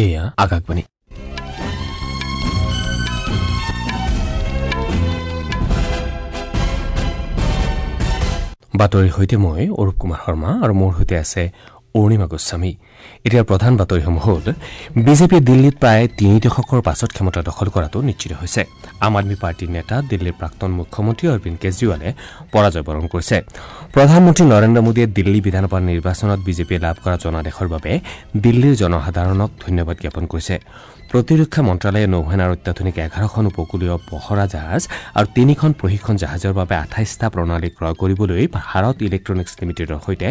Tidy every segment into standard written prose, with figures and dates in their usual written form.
এয়া আকাশবাণী। বাতৰিৰ সৈতে মই অৰূপ কুমাৰ শৰ্মা আৰু মোৰ সৈতে আছে অৰুণিমা গোস্বামী। এতিয়াৰ প্ৰধান বাতৰিসমূহ হ'ল: বিজেপিয়ে দিল্লীত প্ৰায় 3 দশকৰ পাছত ক্ষমতা দখল কৰাটো নিশ্চিত হৈছে। আম আদমী পাৰ্টীৰ নেতা দিল্লীৰ প্ৰাক্তন মুখ্যমন্ত্ৰী অৰবিন্দ কেজৰিৱালে পৰাজয় বৰণ কৰিছে। প্ৰধানমন্ত্ৰী নৰেন্দ্ৰ মোদীয়ে দিল্লী বিধানসভা নিৰ্বাচনত বিজেপিয়ে লাভ কৰা জনাদেশৰ বাবে দিল্লীৰ জনসাধাৰণক ধন্যবাদ জ্ঞাপন কৰিছে। প্ৰতিৰক্ষা মন্ত্ৰালয়ে নৌসেনাৰ অত্যাধুনিক 11খন উপকূলীয় পহৰা জাহাজ আৰু 3খন প্ৰশিক্ষণ জাহাজৰ বাবে 28টা প্ৰণালী ক্ৰয় কৰিবলৈ ভাৰত ইলেক্ট্ৰনিক্স লিমিটেডৰ সৈতে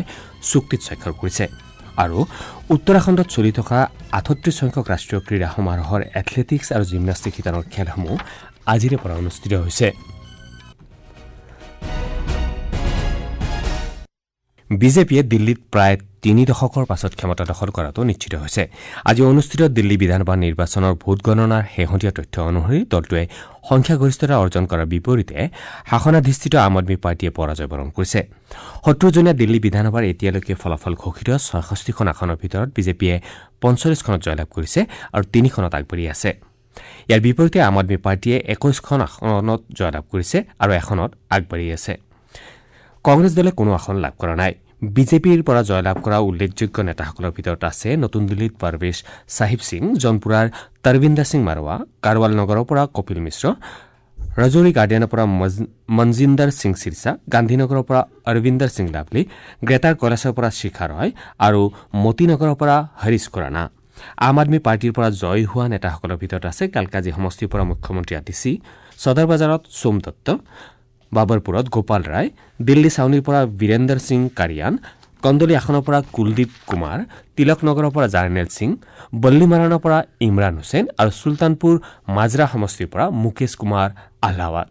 চুক্তিত স্বাক্ষৰ কৰিছে। আৰু উত্তৰাখণ্ডত চলি থকা 38 সংখ্যক ৰাষ্ট্ৰীয় ক্ৰীড়া সমাৰোহৰ এথলেটিক্স আৰু জিমনাষ্টিক শিতানৰ খেলসমূহ আজিৰে পৰা অনুষ্ঠিত হৈছে। বিজেপিয়ে দিল্লীত প্ৰায় 3 দশকৰ পাছত ক্ষমতা দখল কৰাটো নিশ্চিত হৈছে। আজি অনুষ্ঠিত দিল্লী বিধানসভা নিৰ্বাচনৰ ভোটগণনাৰ শেহতীয়া তথ্য অনুসৰি দলটোৱে সংখ্যাগৰিষ্ঠতা অৰ্জন কৰাৰ বিপৰীতে শাসনাধিষ্ঠিত আম আদমী পাৰ্টীয়ে পৰাজয় বৰণ কৰিছে। 70জনীয়া দিল্লী বিধানসভাৰ এতিয়ালৈকে ফলাফল ঘোষিত 66খন আসনৰ ভিতৰত বিজেপিয়ে 45খনত জয়লাভ কৰিছে আৰু 3খনত আগবাঢ়ি আছে। ইয়াৰ বিপৰীতে আম আদমী পাৰ্টীয়ে 21খন আসনত জয়লাভ কৰিছে আৰু এখনত আগবাঢ়ি আছে। কংগ্ৰেছ দলে কোনো আসন লাভ কৰা নাই। বিজেপিৰ পৰা জয়লাভ কৰা উল্লেখযোগ্য নেতাসকলৰ ভিতৰত আছে নতুন দিল্লীত পাৰবেশ চাহিব সিং, জৌনপুৰাৰ তৰবিন্দৰ সিং মাৰোৱা, কাৰৱাল নগৰৰ পৰা কপিল মিশ্ৰ, ৰাজৌৰী গাৰ্ডেনৰ পৰা মনজিন্দৰ সিং চিৰচা, গান্ধীনগৰৰ পৰা অৰবিন্দৰ সিং লাভলী, গ্ৰেটাৰ কৈলাশৰ পৰা শিখা ৰয় আৰু মতিনগৰৰ পৰা হৰিশ খুৰানা। আম আদমী পাৰ্টীৰ পৰা জয়ী হোৱা নেতাসকলৰ ভিতৰত আছে কালকাজী সমষ্টিৰ পৰা মুখ্যমন্ত্ৰী আতিশী, সদৰ বজাৰত সোম দত্ত, বাবৰপুৰত গোপাল ৰায়, দিল্লী ছাউনীৰ পৰা বীৰেন্দৰ সিং কাৰিয়ান, কন্দলী আসনৰ পৰা কুলদীপ কুমাৰ, তিলকনগৰৰ পৰা জাৰ্নেল সিং, বল্লীমাৰাণৰ পৰা ইমৰান হুছেইন আৰু চুলতানপুৰ মাজৰা সমষ্টিৰ পৰা মুকেশ কুমাৰ আহ্লাৱাত।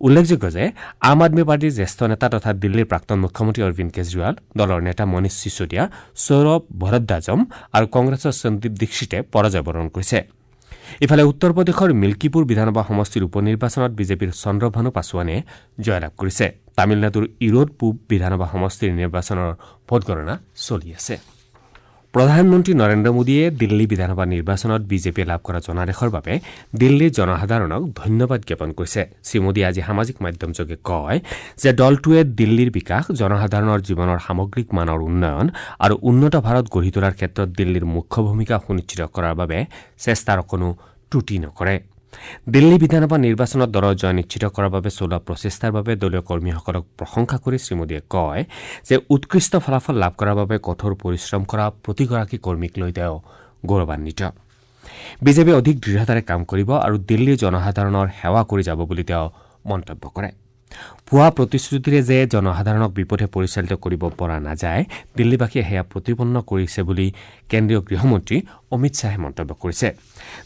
উল্লেখযোগ্য যে আম আদমী পাৰ্টীৰ জ্যেষ্ঠ নেতা তথা দিল্লীৰ প্ৰাক্তন মুখ্যমন্ত্ৰী অৰবিন্দ কেজৰিৱাল, দলৰ নেতা মনীষ চিছোদিয়া, সৌৰভ ভৰদ্বাজম আৰু কংগ্ৰেছৰ সন্দীপ দীক্ষিতে পৰাজয় বৰণ কৰিছে। ইফালে উত্তৰ প্ৰদেশৰ মিল্কীপুৰ বিধানসভা সমষ্টিৰ উপ নিৰ্বাচনত বিজেপিৰ চন্দ্ৰভানু পাছোৱানে জয়লাভ কৰিছে। তামিলনাডুৰ ইৰোড পূব বিধানসভা সমষ্টিৰ নিৰ্বাচনৰ ভোটগণনা চলি আছে। প্ৰধানমন্ত্ৰী নৰেন্দ্ৰ মোদীয়ে দিল্লী বিধানসভা নিৰ্বাচনত বিজেপিয়ে লাভ কৰা জনাদেশৰ বাবে দিল্লীৰ জনসাধাৰণক ধন্যবাদ জ্ঞাপন কৰিছে। শ্ৰীমোদীয়ে আজি সামাজিক মাধ্যমযোগে কয় যে দলটোৱে দিল্লীৰ বিকাশ, জনসাধাৰণৰ জীৱনৰ সামগ্ৰিক মানৰ উন্নয়ন আৰু উন্নত ভাৰত গঢ়ি তোলাৰ ক্ষেত্ৰত দিল্লীৰ মুখ্য ভূমিকা সুনিশ্চিত কৰাৰ বাবে চেষ্টাৰ কোনো ত্ৰুটি নকৰে। দিল্লী বিধানসভা নিৰ্বাচনত দলৰ জয় নিশ্চিত কৰাৰ বাবে চলোৱা প্ৰচেষ্টাৰ বাবে দলীয় কৰ্মীসকলক প্ৰশংসা কৰি শ্ৰীমোদীয়ে কয় যে উৎকৃষ্ট ফলাফল লাভ কৰাৰ বাবে কঠোৰ পৰিশ্ৰম কৰা প্ৰতিগৰাকী কৰ্মীক লৈ তেওঁ গৌৰৱান্বিত। বিজেপিয়ে অধিক দৃঢ়তাৰে কাম কৰিব আৰু দিল্লীৰ জনসাধাৰণৰ সেৱা কৰি যাব বুলি তেওঁ মন্তব্য কৰে। ভুৱা প্ৰতিশ্ৰুতিৰে যে জনসাধাৰণক বিপথে পৰিচালিত কৰিব পৰা নাযায়, দিল্লীবাসীয়ে সেয়া প্ৰতিপন্ন কৰিছে বুলি কেন্দ্ৰীয় গৃহমন্ত্ৰী অমিত শ্বাহে মন্তব্য কৰিছে।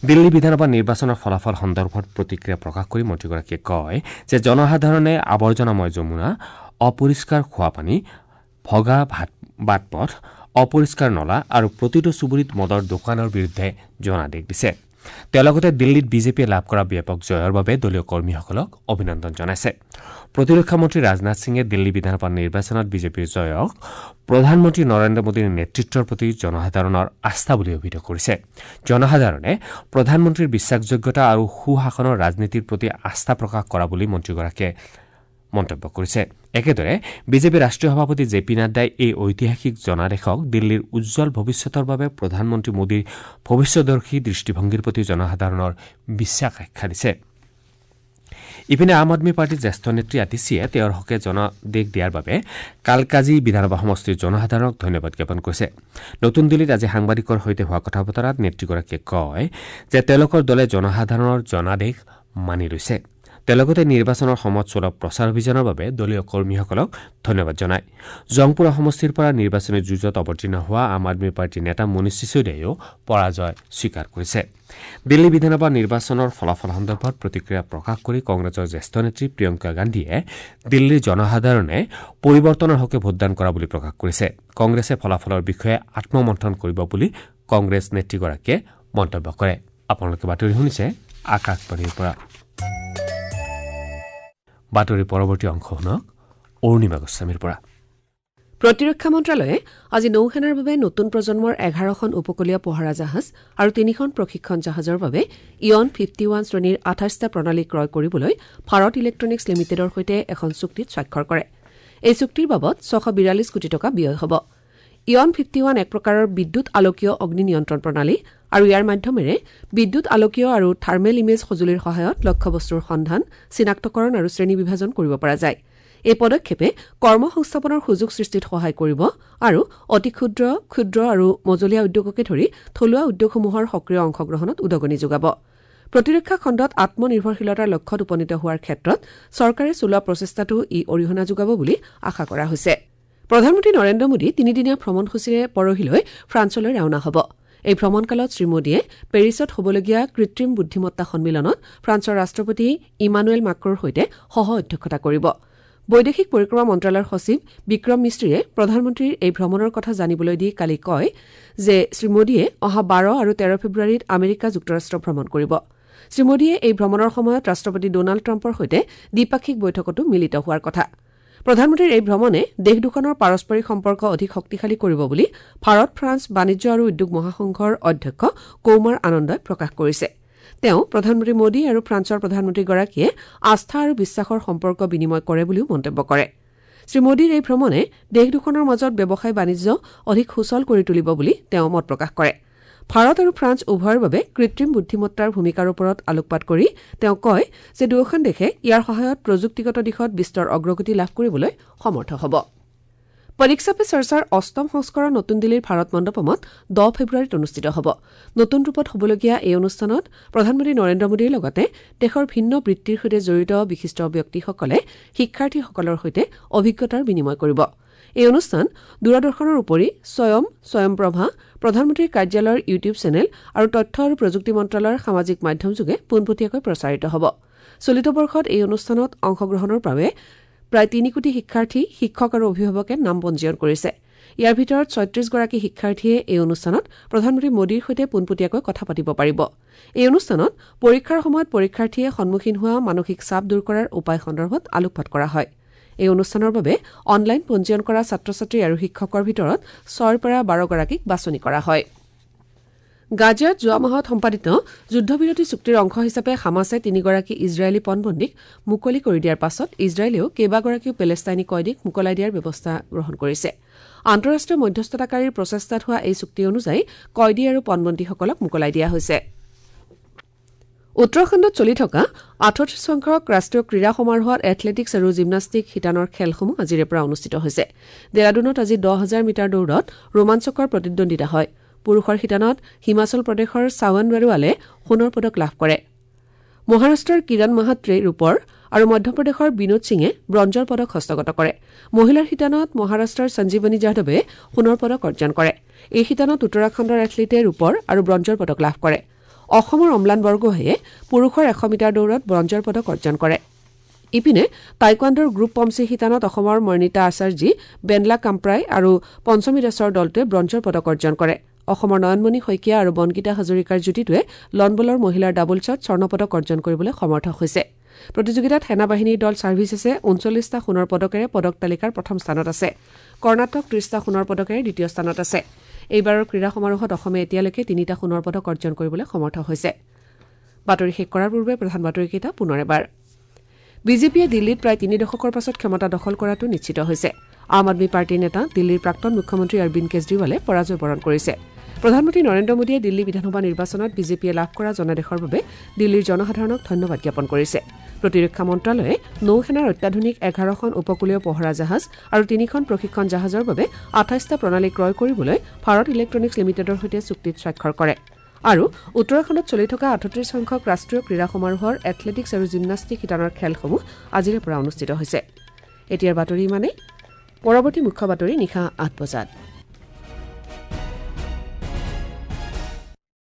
দিল্লী বিধানসভা নিৰ্বাচনৰ ফলাফল সন্দৰ্ভত প্ৰতিক্ৰিয়া প্ৰকাশ কৰি মন্ত্ৰীগৰাকীয়ে কয় যে জনসাধাৰণে আৱৰ্জনাময় যমুনা, অপৰিষ্কাৰ খোৱাপানী, ভগা বাটপথ, অপৰিষ্কাৰ নলা আৰু প্ৰতিটো চুবুৰীত মদৰ দোকানৰ বিৰুদ্ধে জনাদেশ দিছে। তেওঁ লগতে দিল্লীত বিজেপিয়ে লাভ কৰা ব্যাপক জয়ৰ বাবে দলীয় কৰ্মীসকলক অভিনন্দন জনাইছে। প্ৰতিৰক্ষা মন্ত্ৰী ৰাজনাথ সিঙে দিল্লী বিধানসভা নিৰ্বাচনত বিজেপিৰ জয়ক প্ৰধানমন্ত্ৰী নৰেন্দ্ৰ মোদীৰ নেতৃত্বৰ প্ৰতি জনসাধাৰণৰ আস্থা বুলি অভিহিত কৰিছে। জনসাধাৰণে প্ৰধানমন্ত্ৰীৰ বিশ্বাসযোগ্যতা আৰু সুশাসনৰ ৰাজনীতিৰ প্ৰতি আস্থা প্ৰকাশ কৰা বুলি মন্ত্ৰীগৰাকীয়ে মন্তব্য কৰিছে। একেদৰে বিজেপিৰ ৰাষ্ট্ৰীয় সভাপতি জে পি নাড্ডাই এই ঐতিহাসিক জনাদেশক দিল্লীৰ উজ্জ্বল ভৱিষ্যতৰ বাবে প্ৰধানমন্ত্ৰী মোদীৰ ভৱিষ্যদৰ্শী দৃষ্টিভংগীৰ প্ৰতি জনসাধাৰণৰ বিশ্বাস আখ্যা দিছে। ইপিনে আম আদমী পাৰ্টীৰ জ্যেষ্ঠ নেত্ৰী আতিশীয়ে তেওঁৰ হকে জনাদেশ দিয়াৰ বাবে কালকাজী বিধানসভা সমষ্টিৰ জনসাধাৰণক ধন্যবাদ জ্ঞাপন কৰিছে। নতুন দিল্লীত আজি সাংবাদিকৰ সৈতে হোৱা কথা বতৰাত নেত্ৰীগৰাকীয়ে কয় যে তেওঁলোকৰ দলে জনসাধাৰণৰ জনাদেশ মানি লৈছে। তেওঁ লগতে নিৰ্বাচনৰ সময়ত চলোৱা প্ৰচাৰ অভিযানৰ বাবে দলীয় কৰ্মীসকলক ধন্যবাদ জনায়। জংপুৰা সমষ্টিৰ পৰা নিৰ্বাচনী যুঁজত অৱতীৰ্ণ হোৱা আম আদমী পাৰ্টীৰ নেতা মনীষ চিছোদিয়াইও পৰাজয় স্বীকাৰ কৰিছে। দিল্লী বিধানসভা নিৰ্বাচনৰ ফলাফল সন্দৰ্ভত প্ৰতিক্ৰিয়া প্ৰকাশ কৰি কংগ্ৰেছৰ জ্যেষ্ঠ নেত্ৰী প্ৰিয়ংকা গান্ধীয়ে দিল্লীৰ জনসাধাৰণে পৰিৱৰ্তনৰ হকে ভোটদান কৰা বুলি প্ৰকাশ কৰিছে। কংগ্ৰেছে ফলাফলৰ বিষয়ে আত্মমন্থন কৰিব বুলি কংগ্ৰেছ নেত্ৰীগৰাকীয়ে মন্তব্য কৰে। আপোনালোকে বাতৰি শুনিছে আকাশবাণীৰ পৰা। বাতৰিৰ পৰৱৰ্তী অংশ শুনক অৰুণিমা গোস্বামীৰ পৰা। প্ৰতিৰক্ষা মন্ত্ৰালয়ে আজি নৌসেনাৰ বাবে নতুন প্ৰজন্মৰ 11খন উপকূলীয় পহৰা জাহাজ আৰু 3খন প্ৰশিক্ষণ জাহাজৰ বাবে ইয়ন 51 শ্ৰেণীৰ 28টা প্ৰণালী ক্ৰয় কৰিবলৈ ভাৰত ইলেক্ট্ৰনিক্স লিমিটেডৰ সৈতে এখন চুক্তিত স্বাক্ষৰ কৰে। এই চুক্তিৰ বাবদ 642 কোটি টকা ব্যয় হ'ব। ইয়ন 51 এক প্ৰকাৰৰ বিদ্যুৎ আলোকীয় অগ্নি নিয়ন্ত্ৰণ প্ৰণালী আৰু ইয়াৰ মাধ্যমেৰে বিদ্যুৎ আলোকীয় আৰু থাৰ্মেল ইমেজ সঁজুলিৰ সহায়ত লক্ষ্যবস্তুৰ সন্ধান, চিনাক্তকৰণ আৰু শ্ৰেণী বিভাজন কৰিব পৰা যায়। এই পদক্ষেপে কৰ্মসংস্থাপনৰ সুযোগ সৃষ্টিত সহায় কৰিব আৰু অতি ক্ষুদ্ৰ, ক্ষুদ্ৰ আৰু মজলীয়া উদ্যোগকে ধৰি থলুৱা উদ্যোগসমূহৰ সক্ৰিয় অংশগ্ৰহণত উদগনি যোগাব। প্ৰতিৰক্ষা খণ্ডত আত্মনিৰ্ভৰশীলতাৰ লক্ষ্যত উপনীত হোৱাৰ ক্ষেত্ৰত চৰকাৰে চলোৱা প্ৰচেষ্টাতো ই অৰিহণা যোগাব বুলি আশা কৰা হৈছে। প্ৰধানমন্ত্ৰী নৰেন্দ্ৰ মোদী তিনিদিনীয়া ভ্ৰমণসূচীৰে পৰহিলৈ ফ্ৰান্সলৈ ৰাওনা হ'ব। এই ভ্ৰমণকালত শ্ৰীমোদীয়ে পেৰিছত হ'বলগীয়া কৃত্ৰিম বুদ্ধিমত্তা সন্মিলনত ফ্ৰান্সৰ ৰাষ্ট্ৰপতি ইমানুৱেল মাক্ৰৰ সৈতে সহ অধ্যক্ষতা কৰিব। বৈদেশিক পৰিক্ৰমা মন্ত্ৰালয়ৰ সচিব বিক্ৰম মিস্ত্ৰীয়ে প্ৰধানমন্ত্ৰীৰ এই ভ্ৰমণৰ কথা জানিবলৈ দি কালি কয় যে শ্ৰীমোদীয়ে অহা 12 আৰু 13 ফেব্ৰুৱাৰীত আমেৰিকা যুক্তৰাষ্ট্ৰ ভ্ৰমণ কৰিব। শ্ৰীমোদীয়ে এই ভ্ৰমণৰ সময়ত ৰাষ্ট্ৰপতি ডনাল্ড ট্ৰাম্পৰ সৈতে দ্বিপাক্ষিক বৈঠকতো মিলিত হোৱাৰ কথা। প্ৰধানমন্ত্ৰীৰ এই ভ্ৰমণে দেশ দুখনৰ পাৰস্পৰিক সম্পৰ্ক অধিক শক্তিশালী কৰিব বুলি ভাৰত ফ্ৰান্স বাণিজ্য আৰু উদ্যোগ মহাসংঘৰ অধ্যক্ষ কৌমাৰ আনন্দই প্ৰকাশ কৰিছে। তেওঁ প্ৰধানমন্ত্ৰী মোদী আৰু ফ্ৰান্সৰ প্ৰধানমন্ত্ৰীগৰাকীয়ে আস্থা আৰু বিশ্বাসৰ সম্পৰ্ক বিনিময় কৰে বুলিও মন্তব্য কৰে। শ্ৰীমোদীৰ এই ভ্ৰমণে দেশ দুখনৰ মাজত ব্যৱসায় বাণিজ্য অধিক সুচল কৰি তুলিব বুলি তেওঁ মত প্ৰকাশ কৰে। ভাৰত আৰু ফ্ৰান্স উভয়ৰ বাবে কৃত্ৰিম বুদ্ধিমত্তাৰ ভূমিকাৰ ওপৰত আলোকপাত কৰি তেওঁ কয় যে দুয়োখন দেশে ইয়াৰ সহায়ত প্ৰযুক্তিগত দিশত বিস্তৰ অগ্ৰগতি লাভ কৰিবলৈ সমৰ্থ হ'ব। পৰীক্ষা পে চৰ্চাৰ অষ্টম সংস্কৰণ নতুন দিল্লীৰ ভাৰত মণ্ডপমত 10 ফেব্ৰুৱাৰীত অনুষ্ঠিত হ'ব। নতুন ৰূপত হ'বলগীয়া এই অনুষ্ঠানত প্ৰধানমন্ত্ৰী নৰেন্দ্ৰ মোদীৰ লগতে দেশৰ ভিন্ন বৃত্তিৰ সৈতে জড়িত বিশিষ্ট ব্যক্তিসকলে শিক্ষাৰ্থীসকলৰ সৈতে অভিজ্ঞতাৰ বিনিময় কৰিব। এই অনুষ্ঠান দূৰদৰ্শনৰ উপৰি স্বয়ম, স্বয়ংপ্ৰভা, প্ৰধানমন্ত্ৰীৰ কাৰ্যালয়ৰ ইউটিউব চেনেল আৰু তথ্য আৰু প্ৰযুক্তি মন্ত্ৰালয়ৰ সামাজিক মাধ্যমযোগে পোনপটীয়াকৈ প্ৰচাৰিত হ'ব। চলিত বৰ্ষত এই অনুষ্ঠানত অংশগ্ৰহণৰ বাবে প্ৰায় 3 কোটি শিক্ষাৰ্থী, শিক্ষক আৰু অভিভাৱকে নাম পঞ্জীয়ন কৰিছে। ইয়াৰ ভিতৰত 36গৰাকী শিক্ষাৰ্থীয়ে এই অনুষ্ঠানত প্ৰধানমন্ত্ৰী মোদীৰ সৈতে পোনপটীয়াকৈ কথা পাতিব পাৰিব। এই অনুষ্ঠানত পৰীক্ষাৰ সময়ত পৰীক্ষাৰ্থীয়ে সন্মুখীন হোৱা মানসিক চাপ দূৰ কৰাৰ উপায় সন্দৰ্ভত আলোকপাত কৰা হয়। এই অনুষ্ঠানৰ বাবে অনলাইন পঞ্জীয়ন কৰা ছাত্ৰ ছাত্ৰী আৰু শিক্ষকৰ ভিতৰত 6ৰ পৰা 12গৰাকীক বাছনি কৰা হয়। গাজাত যোৱা মাহত সম্পাদিত যুদ্ধবিৰতি চুক্তিৰ অংশ হিচাপে হামাছে 3গৰাকী ইজৰাইলী পণবন্দীক মুকলি কৰি দিয়াৰ পাছত ইজৰাইলেও কেইবাগৰাকীও পেলেষ্টাইনী কয়দীক মোকলাই দিয়াৰ ব্যৱস্থা গ্ৰহণ কৰিছে। আন্তঃৰাষ্ট্ৰীয় মধ্যস্থতাকাৰীৰ প্ৰচেষ্টাত হোৱা এই চুক্তি অনুযায়ী কয়দী আৰু পণবন্দীসকলক মোকলাই দিয়া হৈছে। উত্তৰাখণ্ডত চলি থকা 38 সংখ্যক ৰাষ্ট্ৰীয় ক্ৰীড়া সমাৰোহত এথলেটিক্স আৰু জিমনাষ্টিক শিতানৰ খেলসমূহ আজিৰে পৰা অনুষ্ঠিত হৈছে। ডেৰাডুনত আজি 10,000 মিটাৰ দৌৰত ৰোমাঞ্চকৰ প্ৰতিদ্বন্দ্বিতা হয়। পুৰুষৰ শিতানত হিমাচল প্ৰদেশৰ চাৱন বাৰুৱালে সোণৰ পদক লাভ কৰে। মহাৰাষ্ট্ৰৰ কিৰণ মাহাত্ৰে ৰূপৰ আৰু মধ্যপ্ৰদেশৰ বিনোদ সিঙে ব্ৰঞ্জৰ পদক হস্তগত কৰে। মহিলাৰ শিতানত মহাৰাষ্ট্ৰৰ সঞ্জীৱনী যাদৱে সোণৰ পদক অৰ্জন কৰে। এই শিতানত উত্তৰাখণ্ডৰ এথলীটে ৰূপৰ আৰু ব্ৰঞ্জৰ পদক লাভ কৰে। অসমৰ অম্লান বৰগোহাঁয়ে পুৰুষৰ 100 মিটাৰ দৌৰত ব্ৰঞ্জৰ পদক অৰ্জন কৰে। ইপিনে টাইকোৱাণ্ডোৰ গ্ৰুপ পমচি শিতানত অসমৰ মৰ্ণিতা আচাৰ্যী, বেনলা কাম্প্ৰাই আৰু পঞ্চমী দাসৰ দলটোৱে ব্ৰঞ্জৰ পদক অৰ্জন কৰে। অসমৰ নয়নমণি শইকীয়া আৰু বনগীতা হাজৰিকাৰ যুটিটোৱে লনবলৰ মহিলাৰ ডাবলছত স্বৰ্ণপদক অৰ্জন কৰিবলৈ সমৰ্থ হৈছে। প্ৰতিযোগিতাত সেনাবাহিনীৰ দল ছাৰ্ভিচেছে 39টা সোণৰ পদকেৰে পদক তালিকাৰ প্ৰথম স্থানত আছে। কৰ্ণাটক 30টা সোণৰ পদকেৰে দ্বিতীয় স্থানত আছে। এইবাৰৰ ক্ৰীড়া সমাৰোহত অসমে এতিয়ালৈকে 3টা সোণৰ পদক অৰ্জন কৰিবলৈ সমৰ্থ হৈছে। বাতৰি শেষ কৰাৰ পূৰ্বে প্ৰধান বাতৰিকেইটা পুনৰ এবাৰ। বিজেপিয়ে দিল্লীত প্ৰায় 3 দশকৰ পাছত ক্ষমতা দখল কৰাটো নিশ্চিত হৈছে। আম আদমি পাৰ্টীৰ নেতা দিল্লীৰ প্ৰাক্তন মুখ্যমন্ত্ৰী অৰবিন্দ কেজৰিৱালে পৰাজয় বৰণ কৰিছে। প্ৰধানমন্ত্ৰী নৰেন্দ্ৰ মোদীয়ে দিল্লী বিধানসভা নিৰ্বাচনত বিজেপিয়ে লাভ কৰা জনাদেশৰ বাবে দিল্লীৰ জনসাধাৰণক ধন্যবাদ জ্ঞাপন কৰিছে। প্ৰতিৰক্ষা মন্ত্ৰালয়ে নৌসেনাৰ অত্যাধুনিক 11খন উপকূলীয় পহৰা জাহাজ আৰু 3খন প্ৰশিক্ষণ জাহাজৰ বাবে 28টা প্ৰণালী ক্ৰয় কৰিবলৈ ভাৰত ইলেক্ট্ৰনিক্স লিমিটেডৰ সৈতে চুক্তিত স্বাক্ষৰ কৰে। আৰু উত্তৰাখণ্ডত চলি থকা 38 সংখ্যক ৰাষ্ট্ৰীয় ক্ৰীড়া সমাৰোহৰ এথলেটিক্স আৰু জিমনাষ্টিক শিতানৰ খেলসমূহ আজিৰে পৰা অনুষ্ঠিত হৈছে। এতিয়াৰ বাতৰি ইমানেই। পৰৱৰ্তী মুখ্য বাতৰি নিশা 8 বজাত।